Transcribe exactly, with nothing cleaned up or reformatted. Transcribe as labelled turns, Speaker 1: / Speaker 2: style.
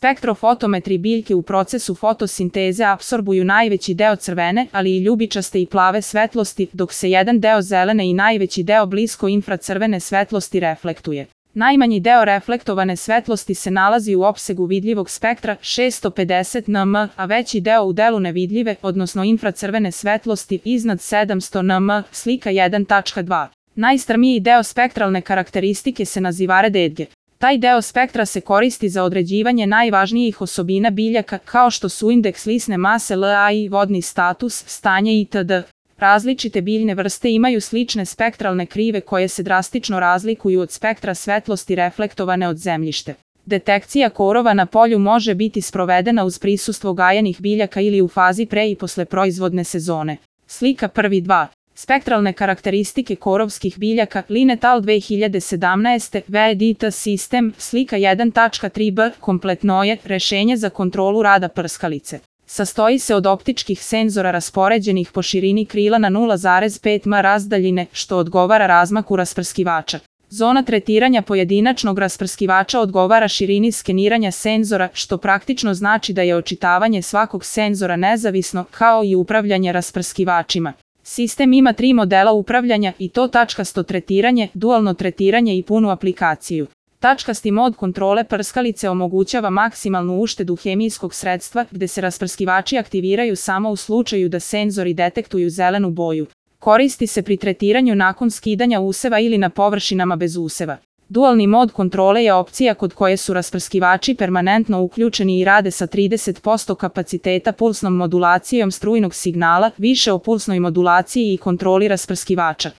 Speaker 1: Spektrofotometri biljke u procesu fotosinteze apsorbuju najveći deo crvene, ali i ljubičaste i plave svetlosti, dok se jedan deo zelene i najveći deo blisko infracrvene svetlosti reflektuje. Najmanji deo reflektovane svetlosti se nalazi u opsegu vidljivog spektra šessto pedeset nanometra, a veći deo u delu nevidljive, odnosno infracrvene svetlosti iznad sedamsto nanometra, slika jedan tačka dva. Najstrmiji deo spektralne karakteristike se naziva rededge. Taj deo spektra se koristi za određivanje najvažnijih osobina biljaka, kao što su indeks lisne mase L A I, vodni status, stanje itd. Različite biljne vrste imaju slične spektralne krive koje se drastično razlikuju od spektra svetlosti reflektovane od zemljište. Detekcija korova na polju može biti sprovedena uz prisustvo gajenih biljaka ili u fazi pre i posle proizvodne sezone. Slika prvi dva. Spektralne karakteristike korovskih biljaka, Linetal dve hiljade sedamnaeste, V E D T sistem, slika jedan tačka tri b, kompletno je rešenje za kontrolu rada prskalice. Sastoji se od optičkih senzora raspoređenih po širini krila na nula zarez pet m razdaljine, što odgovara razmaku rasprskivača. Zona tretiranja pojedinačnog rasprskivača odgovara širini skeniranja senzora, što praktično znači da je očitavanje svakog senzora nezavisno, kao i upravljanje rasprskivačima. Sistem ima tri modela upravljanja i to tačkasto tretiranje, dualno tretiranje i punu aplikaciju. Tačkasti mod kontrole prskalice omogućava maksimalnu uštedu hemijskog sredstva, gde se rasprskivači aktiviraju samo u slučaju da senzori detektuju zelenu boju. Koristi se pri tretiranju nakon skidanja useva ili na površinama bez useva. Dualni mod kontrole je opcija kod koje su rasprskivači permanentno uključeni i rade sa trideset posto kapaciteta pulsnom modulacijom strujnog signala, više o pulsnoj modulaciji i kontroli rasprskivača.